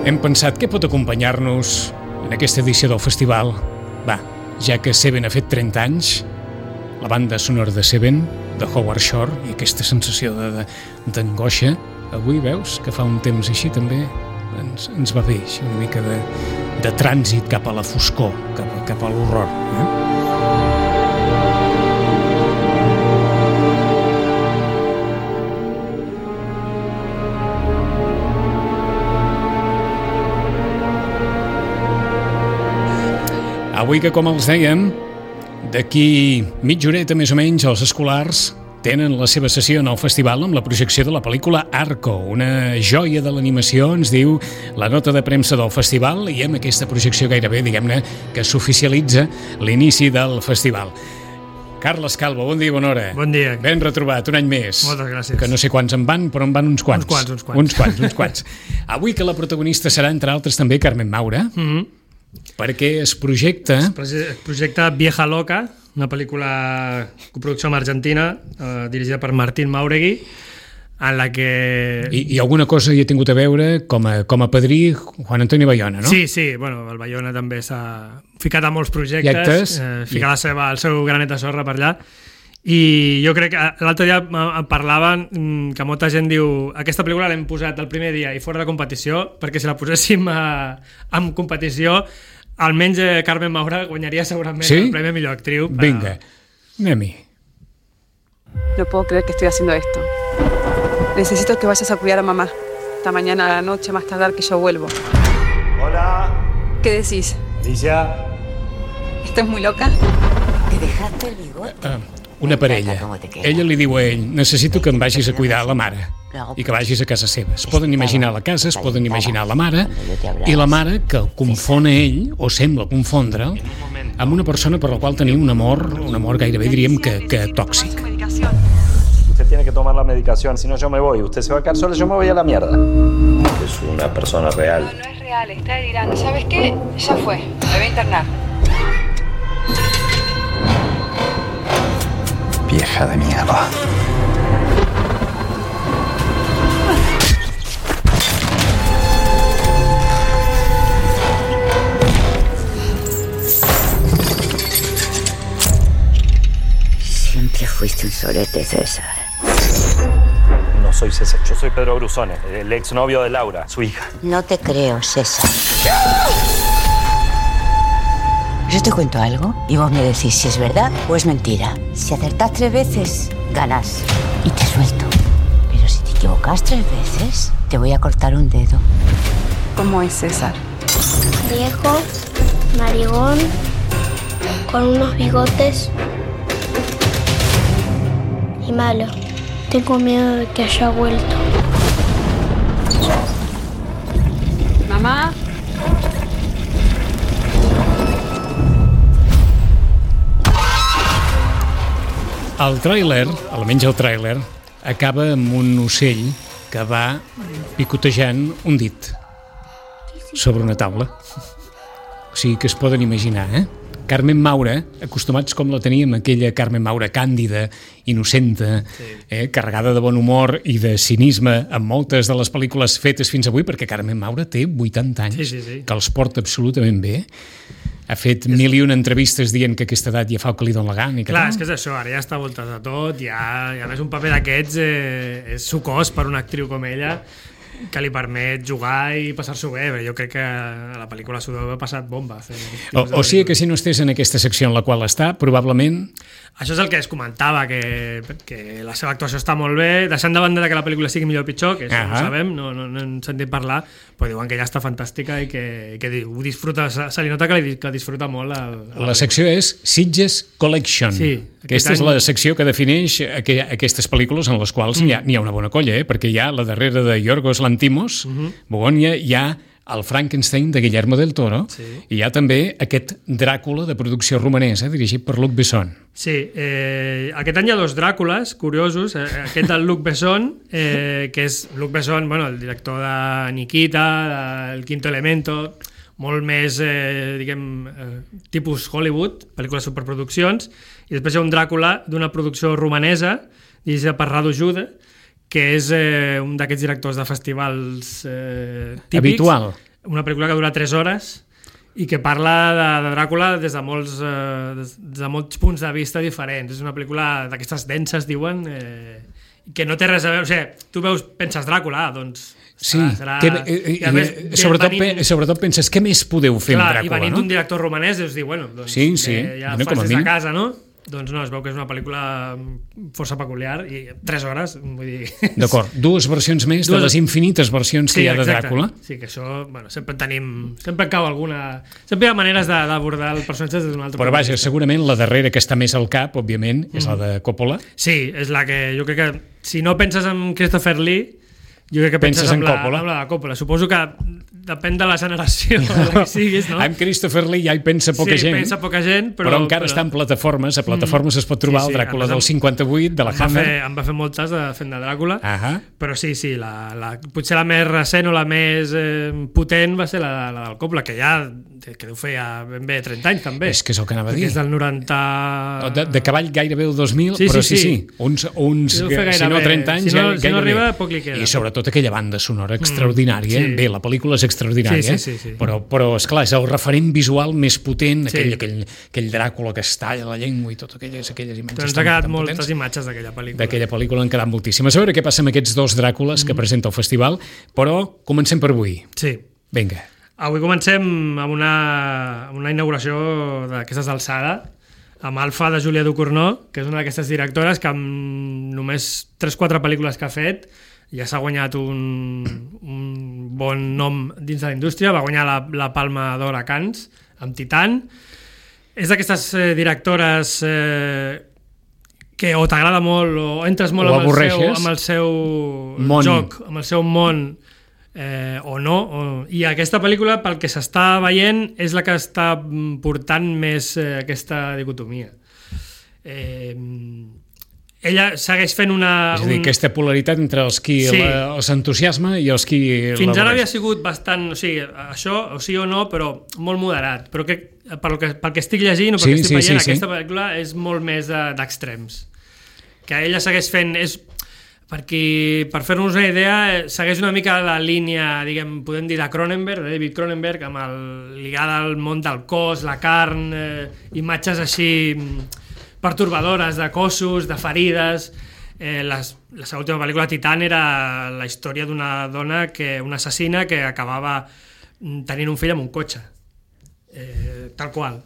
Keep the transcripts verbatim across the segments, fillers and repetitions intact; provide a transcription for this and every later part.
Hem pensat què pot acompanyar-nos en aquesta edició del festival. Va, ja que Seven ha fet trenta anys, la banda sonora de Seven, de Howard Shore, i aquesta sensació de, d'angoixa, avui veus que fa un temps així també ens, ens va bé, així una mica de, de trànsit cap a la foscor, cap, cap a l'horror. Eh? Avui que, com els dèiem, d'aquí mitja horeta més o menys els escolars tenen la seva sessió en el festival amb la projecció de la pel·lícula Arco, una joia de l'animació, ens diu la nota de premsa del festival, i amb aquesta projecció gairebé, diguem-ne, que s'oficialitza l'inici del festival. Carles Calvo, bon dia, bona hora. Bon dia. Ben retrobat, un any més. Moltes gràcies. Que no sé quants en van, però en van uns quants. Uns quants, uns quants. Uns quants, uns quants. Avui que la protagonista serà, entre altres, també Carmen Maura, Mm-hmm. perquè es projecta... Es projecta Vieja Loca, una pel·lícula coproducció amb Argentina, eh, dirigida per Martín Mauregui, en la que... I, i alguna cosa hi he tingut a veure com a, com a padrí Juan Antonio Bayona, no? Sí, sí, bueno, el Bayona també s'ha ficat a molts projectes, eh, fica la seva, el seu granet de sorra per allà, i jo crec que l'altre dia parlaven que molta gent diu aquesta pel·lícula l'hem posat el primer dia i fora de competició, perquè si la poséssim a, en competició almenys eh, Carmen Maura guanyaria segurament ¿Sí? el premi millor actriu. Vinga, anem-hi. No puedo creer que estoy haciendo esto. Necesito que vayas a cuidar a mamá. Esta mañana a la noche, más tardar que yo vuelvo. Hola. ¿Qué decís? Alicia. ¿Estás muy loca? ¿Te dejaste el bigote? Uh, una parella. Ella li diu a ell, necessito que em vagis a cuidar a la mare i que vagis a casa seva. Es poden imaginar la casa, es poden imaginar la mare, i la mare que el confon a ell, o sembla confondre'l, amb una persona per la qual tenia un amor, un amor gairebé diríem que, que tòxic. Usted tiene que tomar la medicación, si no yo me voy. Usted se va a quedar sola, yo me voy a la mierda. Es una persona real. No, no es real, está delirando. ¿Sabes qué? Ya fue, me voy a internar. Vieja de mierda. Siempre fuiste un solete, César. No soy César, yo soy Pedro Brusone, el exnovio de Laura, su hija. No te creo, César. Yo te cuento algo y vos me decís si es verdad o es mentira. Si acertás tres veces, ganas y te suelto. Pero si te equivocas tres veces, te voy a cortar un dedo. ¿Cómo es César? Viejo, narigón, con unos bigotes y malo. Tengo miedo de que haya vuelto. Mamá. El tràiler, almenys el tràiler, acaba amb un ocell que va picotejant un dit sobre una taula. O sigui que es poden imaginar, eh? Carmen Maura, acostumats com la teníem, aquella Carmen Maura càndida, innocenta, sí. eh, carregada de bon humor i de cinisme en moltes de les pel·lícules fetes fins avui, perquè Carmen Maura té vuitanta anys, sí, sí, sí. que els porta absolutament bé. Ha fet mil i una entrevistes dient que a aquesta edat ja fa el que li dona la gana. I que Clar, tal. és que és això, ara ja està voltat a tot, ja, i a més un paper d'aquests eh, és sucós per una actriu com ella, que li permet jugar i passar-s'ho bé. Jo crec que a la pel·lícula s'ho deu haver passat bomba. O, o sigui que si no estés en aquesta secció en la qual està, probablement... Això és el que es comentava, que, que la seva actuació està molt bé, deixant de banda que la pel·lícula sigui millor o pitjor, que això uh -huh. no ho sabem, no, no, no hem sentit parlar, però diuen que ja està fantàstica i que, que ho disfruta, se li nota que, li, que disfruta molt. A, a la, la secció és Sitges Collection. Sí, aquesta és la secció que defineix aqu aquestes pel·lícules en les quals mm. hi, ha, hi ha una bona colla, eh? Perquè hi ha la darrera de Yorgos Lanthimos, uh -huh. Bogònia, hi ha el Frankenstein de Guillermo del Toro, sí. i hi ha també aquest Dràcula de producció romanesa dirigit per Luc Besson. Sí, eh, aquest any hi ha dos Dràcules curiosos, eh, aquest del Luc Besson, eh, que és Luc Besson, bueno, el director de Nikita, del Quinto Elemento, molt més, eh, diguem, eh, tipus Hollywood, pel·lícules superproduccions, i després hi ha un Dràcula d'una producció romanesa, dirigida per Radu Jude, que és eh, un d'aquests directors de festivals eh, típics. Habitual. una pel·lícula que dura tres hores i que parla de, de Dràcula des de molts, eh, des de molts punts de vista diferents. És una pel·lícula d'aquestes denses, diuen, eh, que no té res a veure... O sigui, tu veus, penses Dràcula, doncs... Sí, serà, que, i eh, més, eh, sobretot, venint, sobretot penses, què més podeu fer clar, amb Dràcula, i venint no? d'un director romanès, deus dir, bueno, doncs sí, sí. ja no, fas des de casa, no? Doncs no, es veu que és una pel·lícula força peculiar i tres hores, vull dir... D'acord, dues versions més dues... de les infinites versions sí, que hi ha de exacte. Dràcula. Sí, que això, bueno, sempre tenim... Sempre cau alguna... Sempre hi ha maneres d'abordar el personatge des d'un altre Però vaja, segurament la darrera que està més al cap, òbviament, és mm. la de Coppola. Sí, és la que jo crec que... Si no penses en Christopher Lee, jo crec que penses, penses en, en Coppola. La, en la de Coppola. Suposo que depèn de la generació que siguis, no? Amb Christopher Lee ja hi pensa poca sí, gent, pensa poca gent però, però encara però... està en plataformes. A plataformes mm. es pot trobar sí, sí, el Dràcula del cinquanta-vuit, de la em Hammer. Va fer, em va fer moltes de fent de Dràcula, uh -huh. però sí, sí, la, la, potser la més recent o la més eh, potent va ser la, la del Coppola, que ja que deu fer ja ben bé trenta anys també. És que és el que anava a dir. És del noranta... De, de cavall gairebé el dos mil, sí, però sí, sí, sí. sí. Uns, uns si no trenta anys, si no, gairebé. Si no arriba, poc li queda. I sobretot aquella banda sonora extraordinària. Mm, sí. Bé, la pel·lícula és extraordinària, sí, sí, sí, sí. però, però esclar, és el referent visual més potent, sí. aquell, aquell, aquell Dràcula que es talla la llengua i totes aquelles, aquelles imatges. Doncs ha quedat moltes potents. Imatges d'aquella pel·lícula. D'aquella pel·lícula han quedat moltíssimes. A veure què passa amb aquests dos Dràcules mm. que presenta el festival, però comencem per avui. Sí. Vinga. Avui comencem amb una, amb una inauguració d'aquestes d'alçada, amb Alfa de Julia Ducournau, que és una d'aquestes directores que amb només tres o quatre pel·lícules que ha fet ja s'ha guanyat un, un bon nom dins de la indústria. Va guanyar la, la Palma d'Or a Cannes amb Titan. És d'aquestes eh, directores eh, que o t'agrada molt o entres molt amb el, seu, amb el seu món. joc, amb el seu món, eh, o no. O... I aquesta pel·lícula, pel que s'està veient, és la que està portant més eh, aquesta dicotomia. Eh, ella segueix fent una... És a dir, un... aquesta polaritat entre els qui sí. la, els entusiasma i els qui... Fins ara havia sigut bastant... O sigui, això, o sí o no, però molt moderat. Però que, pel, que, pel que estic llegint o pel sí, que estic sí, veient, sí, aquesta sí. pel·lícula és molt més d'extrems. Que ella segueix fent... És, perquè, per fer-nos una idea, segueix una mica la línia, diguem, podem dir, de Cronenberg, de David Cronenberg, amb el, lligada al món del cos, la carn, eh, imatges així pertorbadores de cossos, de ferides. Eh, les, la seva última pel·lícula, Titan, era la història d'una dona, que una assassina que acabava tenint un fill amb un cotxe. Eh, tal qual.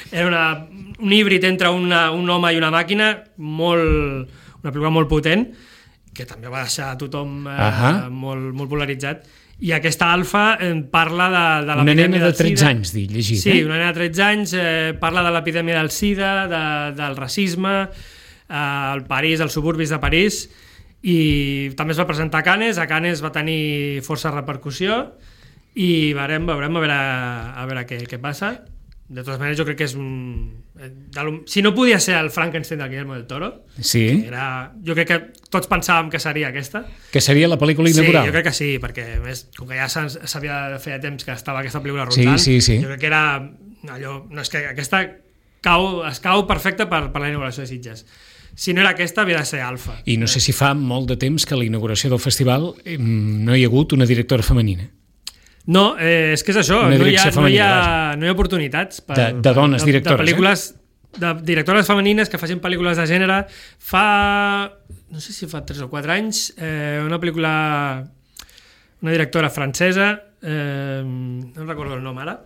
Era una, un híbrid entre una, un home i una màquina, molt, una pel·lícula molt potent, que també va deixar a tothom eh, uh -huh. molt, molt polaritzat. I aquesta Alfa eh, parla de, de una nena de tretze SIDA. anys, dic, llegit. Sí, eh? una nena de tretze anys, eh, parla de l'epidèmia del SIDA, de, del racisme, eh, al París, als suburbis de París, i també es va presentar a Cannes. A Cannes va tenir força repercussió i veurem, veurem a veure, a veure què, què passa. De totes maneres, jo crec que és un... Si no podia ser el Frankenstein del Guillermo del Toro, sí. era... jo crec que tots pensàvem que seria aquesta. Que seria la pel·lícula inaugural. Sí, jo crec que sí, perquè a més, com que ja s'havia de fer a temps que estava aquesta pel·lícula rotant, sí, sí, sí. jo crec que era allò... No, és que aquesta cau, es cau perfecta per, per la inauguració de Sitges. Si no era aquesta, havia de ser Alfa. I no sé si fa molt de temps que a la inauguració del festival no hi ha hagut una directora femenina. No, eh, és que és això, no hi, ha, no, hi ha, no hi ha oportunitats per, de, de dones directores, de, de pel·lícules, eh? de directores femenines que facin pel·lícules de gènere. Fa, no sé si fa tres o quatre anys, eh, una pel·lícula, una directora francesa, eh, no recordo el nom ara,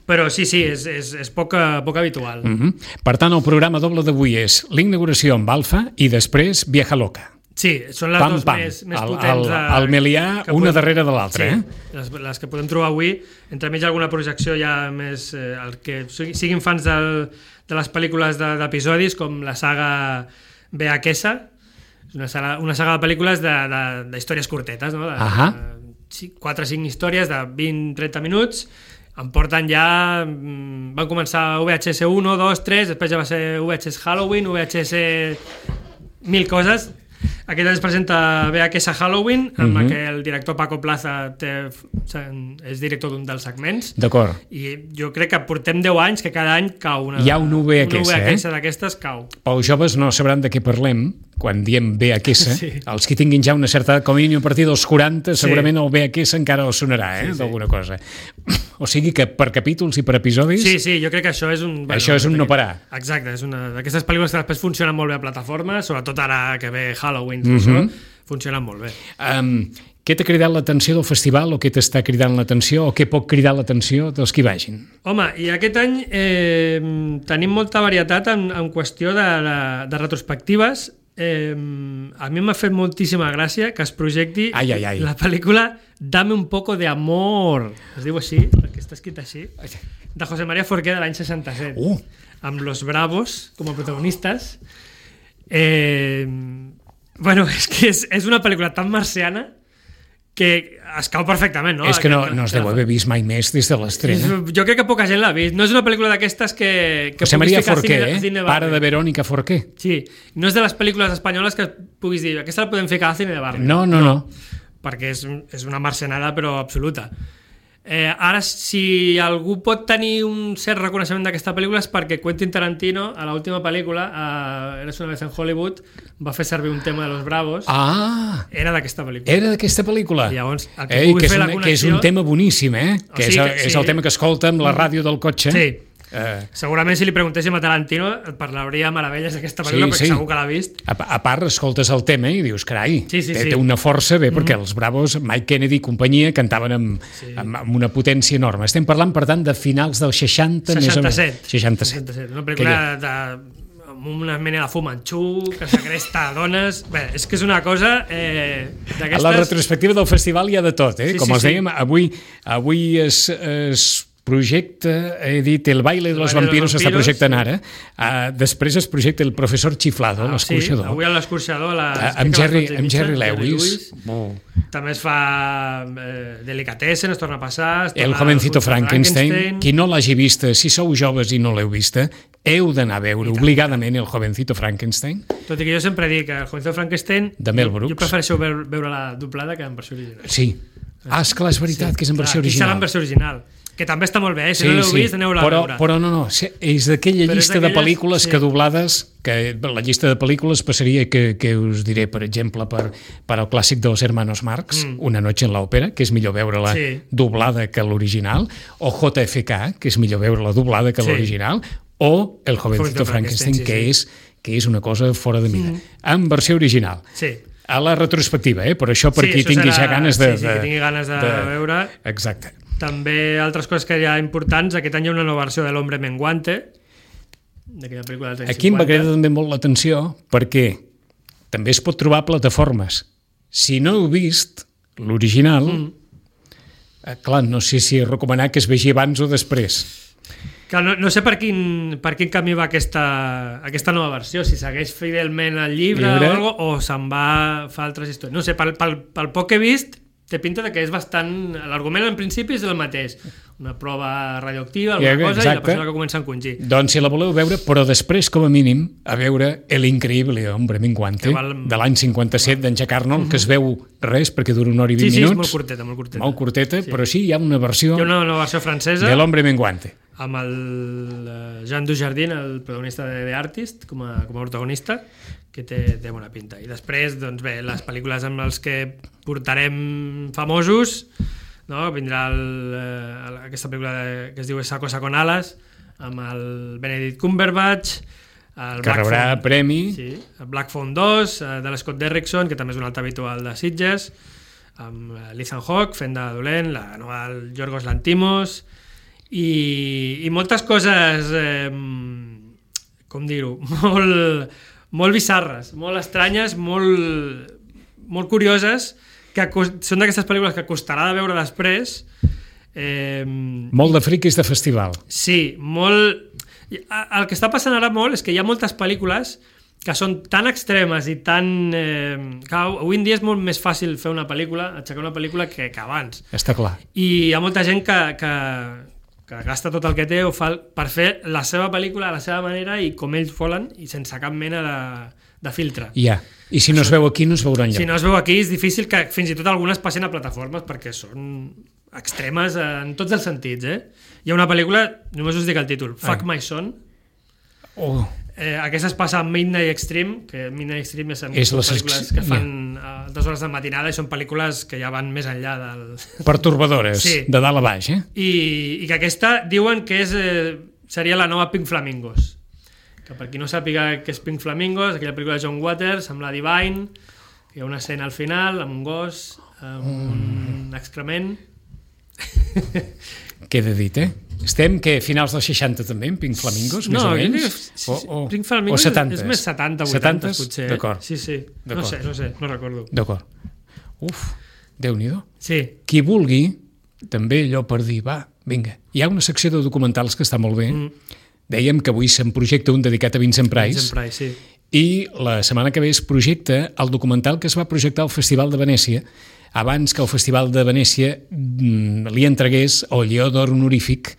però sí, sí, és, és, és poc, poc habitual. Mm-hmm. Per tant, el programa doble d'avui és l'inauguració amb Alfa i després Vieja Loca. Sí, són les pam, dues pam. més, més el, potents. El, el Melià, una podem, darrere de l'altra. Sí, eh? les, les que podem trobar avui. Entremig alguna projecció ja més... Eh, el que siguin fans del, de les pel·lícules d'episodis, com la saga Bea Quesa, una saga, una saga de pel·lícules d'històries curtetes, no? de, uh-huh. de quatre o cinc històries de vint a trenta minuts. Em porten ja... Van començar V H S uno, dos, tres, després ja va ser V H S Halloween, V H S... mil coses... Aquest any es presenta V H S Halloween, amb Mhm. què el director Paco Plaza té, és director d'un dels segments. D'acord. I jo crec que portem deu anys que cada any cau una... Hi ha un V H S, una V H S eh? d'aquestes cau. Els joves no sabran de què parlem quan diem V H S. Sí. Els que tinguin ja una certa edat, com a mínim a partir dels quaranta, Sí. segurament el V H S encara els sonarà, eh? Sí, sí. D'alguna cosa. O sigui que per capítols i per episodis... Sí, sí, jo crec que això és un... Això és un no parar. Exacte, és una d'aquestes pel·lícules que després funcionen molt bé a plataformes, sobretot ara que ve Halloween, Mhm. això, funcionen molt bé. Um, què t'ha cridat l'atenció del festival o què t'està cridant l'atenció o què pot cridar l'atenció dels que hi vagin? Home, i aquest any eh, tenim molta varietat en, en qüestió de, de, de retrospectives. Eh, a mi m'ha fet moltíssima gràcia que es projecti Ai, ai, ai. la pel·lícula Dame un poco de amor, es diu així, perquè està escrit així, de José María Forqué de l'any seixanta-set, Uh. amb Los Bravos com a protagonistes. Eh, bueno, és que és, és una pel·lícula tan marciana que es cau perfectament, no? És que no, Aquest- no es deu haver vist mai més des de l'estrena. Jo crec que poca gent l'ha vist. No és una pel·lícula d'aquestes que, que José puguis María ficar Forqué, cine- eh? cine de Pare barri. de Verónica Forqué. Sí, no és de les pel·lícules espanyoles que puguis dir aquesta la podem ficar al cine de barri. No, no, no. Perquè és, és una marcenada però absoluta. Eh, ara, si algú pot tenir un cert reconeixement d'aquesta pel·lícula és perquè Quentin Tarantino, a l'última pel·lícula, a Eres una vez en Hollywood, va fer servir un tema de Los Bravos. Ah, Era d'aquesta pel·lícula. era d'aquesta pel·lícula. I llavors, el que Ei, pugui que és, fer la un, que és un connexió- tema boníssim, eh? O Que sigui és, el, que- és sí. el tema que escolta amb la ràdio del cotxe. Sí. Eh, Segurament si li preguntéssim a Tarantino et parlaria meravelles d'aquesta pel·lícula, Sí, perquè sí. segur que l'ha vist. a, a part, escoltes el tema i dius, carai, Sí, sí, té, sí. té una força, bé, perquè els Bravos, Mike Kennedy i companyia, cantaven amb, Sí. amb, amb una potència enorme. Estem parlant, per tant, de finals dels seixanta, més o menys. seixanta-set. seixanta-set. seixanta-set. Una pel·lícula de, amb una mena de fumanxú, que segresta dones... Bé, és que és una cosa eh, A d'aquestes... la retrospectiva del festival hi ha de tot, eh? Sí, Com sí, els sí. dèiem, avui, avui es, es projecta, he dit, El baile de los baile de los vampiros s'està vampiros, projectant sí. ara. Uh, després es projecta El professor Chiflado, Ah, sí, l'escorxador. avui a l'escorxador... a les- Uh, crec amb, que a les Jerry, onze i amb mitja, Jerry Lewis. Oh. També es fa eh, Delicatessen, es torna a passar... Es torna El a- jovencito a Frankenstein. Qui no l'hagi vista, si sou joves i no l'heu vista, heu d'anar a veure obligadament El jovencito Frankenstein. Tot i que jo sempre dic que el jovencito Frankenstein... De Mel jo- Brooks. Jo prefereixo veure, veure la doblada que en versió original. Sí. Ah, esclar, és veritat, que és en versió Clar, aquí serà original. en versió original. Que també està molt bé, eh? Si no l'heu vist, aneu-la a però, veure. però no, no, sí, és d'aquella Però és llista de d'aquelles- pel·lícules sí. que doblades, que la llista de pel·lícules passaria que, que us diré, per exemple, per, per al clàssic dels Hermanos Marx, Mm. Una noche en l'òpera, que és millor veure-la Sí. doblada que l'original, o J F K, que és millor veure-la doblada que Sí. l'original, o El jovencito Jovencito Frankenstein, Frankenstein, sí, que, sí. és, que és una cosa fora de mida. En versió original. Sí. A la retrospectiva, eh? Per això, per Sí, qui això tingui serà- ja ganes de... sí, sí, de, qui tingui ganes de veure. Exacte. També altres coses que hi ha importants. Aquest any hi ha una nova versió de l'Hombre Menguante, d'aquella pel·lícula dels anys Aquí em va cinquanta. cridar també molt l'atenció perquè també es pot trobar a plataformes. Si no heu vist l'original, mm. eh, clar, no sé si recomanar que es vegi abans o després. Clar, no, no sé per quin, per quin camí va aquesta, aquesta nova versió, si segueix fidelment el llibre, Llibre. o, algo, o se'n va fa altres històries. No sé, pel, pel, pel poc que he vist, té pinta de que és bastant... L'argument en principi és el mateix. Una prova radioactiva, alguna Ja, cosa, exacte. i la persona que comença a encongir. Doncs si la voleu veure, però després, com a mínim, a veure El increïble hombre menguante, Que val- de l'any cinquanta-set d'en Jack Arnold, que es veu res perquè dura una hora i Sí, vint sí, és minuts. molt curteta, molt curteta. Molt curteta, però sí, hi ha una versió Hi ha una nova versió francesa de l'hombre menguante. amb el eh, Jean Dujardin, el protagonista de The Artist, com a, com a protagonista, que té, té bona pinta. I després, doncs bé, les pel·lícules amb les que portarem famosos, no? Vindrà el, eh, aquesta pel·lícula de, que es diu Esa cosa con alas, amb el Benedict Cumberbatch, el Que rebrà Phone- premi. Sí, el Black Phone dos, eh, de l'Scott Derrickson, que també és un altre habitual de Sitges, amb eh, l'Ethan Hawke fent de dolent, la nova del Yorgos Lanthimos, i, i moltes coses, eh, com dir-ho, molt, molt bizarres, molt estranyes, molt, molt curioses, que cos- són d'aquestes pel·lícules que costarà de veure després. Eh, Molt de friquis de festival. Sí, molt... I, a- El que està passant ara molt és que hi ha moltes pel·lícules que són tan extremes i tan... Eh, que avui en dia és molt més fàcil fer una pel·lícula, aixecar una pel·lícula que, que abans. Està clar. I hi ha molta gent que, que, que gasta tot el que té o fa per fer la seva pel·lícula a la seva manera i com ells volen i sense cap mena de, de filtre. Ja. I si no es veu aquí, no es veurà enlloc. Si no es veu aquí, és difícil que fins i tot algunes passin a plataformes perquè són extremes en tots els sentits, eh? Hi ha una pel·lícula, només us dic el títol, Fuck My Son. Oh. Eh, aquesta es passa a Midnight Extreme, que Midnight Extreme és, és són pel·lícules que fan a dues hores de matinada i són pel·lícules que ja van més enllà del... Pertorbadores, sí. De dalt a baix, eh? I, i que aquesta diuen que és, eh, seria la nova Pink Flamingos. Que per qui no sàpiga què és Pink Flamingos, aquella pel·lícula de John Waters amb la Divine, que hi ha una escena al final amb un gos, amb mm. un excrement. Queda dit, eh? Estem, que finals dels seixanta també, en Pink Flamingos, no, més o menys? No, o, o, Pink Flamingos o és més setanta, vuitanta, potser. D'acord. Sí, sí. No sé, no sé, no recordo. D'acord. Uf, Déu-n'hi-do. Sí. Qui vulgui, també allò per dir, va, vinga. Hi ha una secció de documentals que està molt bé. Mm. Dèiem que avui se'n projecta un dedicat a Vincent Price. Vincent Price, sí. I la setmana que ve es projecta el documental que es va projectar al Festival de Venècia abans que el Festival de Venècia li entregués el Lleó d'Or honorífic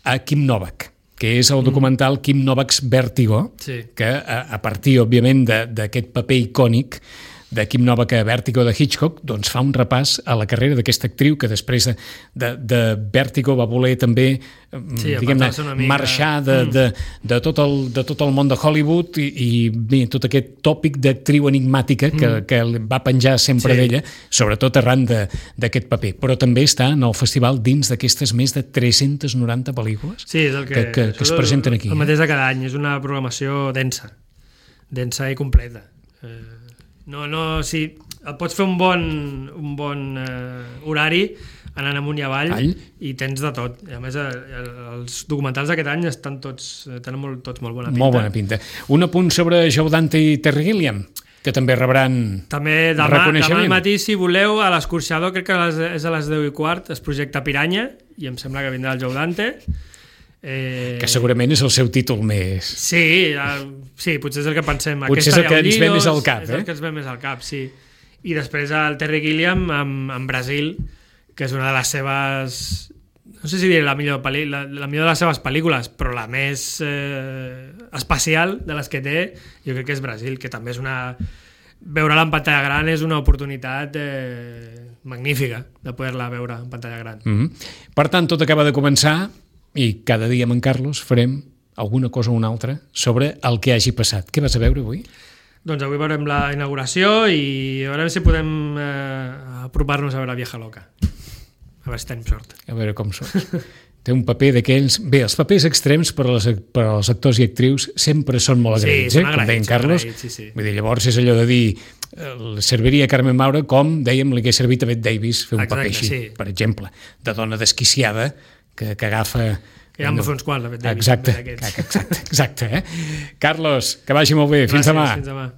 a Kim Novak, que és el documental Kim Novak's Vértigo, sí. que a, a partir, òbviament, d'aquest paper icònic de Kim Novak a Vértigo de Hitchcock, doncs fa un repàs a la carrera d'aquesta actriu que després de, de, de Vértigo va voler també sí, diguem-ne, marxar de, de, de, tot el, de tot el món de Hollywood i, i bé, tot aquest tòpic d'actriu enigmàtica que, mm. que va penjar sempre sí. d'ella, sobretot arran d'aquest paper. Però també està en el festival dins d'aquestes més de tres-centes noranta pel·lícules sí, és el que, que, que, que es presenten aquí. El mateix de cada any, és una programació densa, densa i completa. Eh, No, no, sí, pots fer un bon, un bon eh, horari anant amunt i avall All? I tens de tot. I a més, eh, els documentals d'aquest any estan tots, tenen molt, tots molt bona pinta. Molt bona pinta. Un apunt sobre Joe Dante i Terry Gilliam, que també rebran també demà, demà al matí, si voleu, a l'Escorxador, crec que les, és a les deu i quart, es projecta Piranya, i em sembla que vindrà el Joe Dante. Eh... que segurament és el seu títol més... Sí, uh, sí, potser és el que pensem. Potser és el que ens ve més al cap, eh? És el que ens ve més al cap, sí. I després el Terry Gilliam amb, amb Brasil, que és una de les seves... No sé si diré la millor, pel·li, la, la millor de les seves pel·lícules, però la més eh, especial de les que té, jo crec que és Brasil, que també és una... Veure-la en pantalla gran és una oportunitat eh, magnífica de poder-la veure en pantalla gran. Mm-hmm. Per tant, tot acaba de començar i cada dia amb en Carlos farem alguna cosa o una altra sobre el que hagi passat. Què vas a veure avui? Doncs avui veurem la inauguració i a veure si podem eh, apropar-nos a veure la Vieja Loca. A veure si tenim sort. A veure com sort. Té un paper d'aquells... Bé, els papers extrems per als, per als actors i actrius sempre són molt agraïts, sí, eh? Com deia en Carlos. Agraïts, sí, sí. Vull dir, llavors és allò de dir eh, serviria a Carmen Maura com, dèiem, li hagués servit a Bette Davis fer un exacte, paper així, sí. per exemple, de dona desquiciada que, que agafa... Que ja en va fer uns quants, la Bette Davis. Exacte, exacte, exacte, eh? Carlos, que vagi molt bé. Fins Gràcies, demà. Fins demà.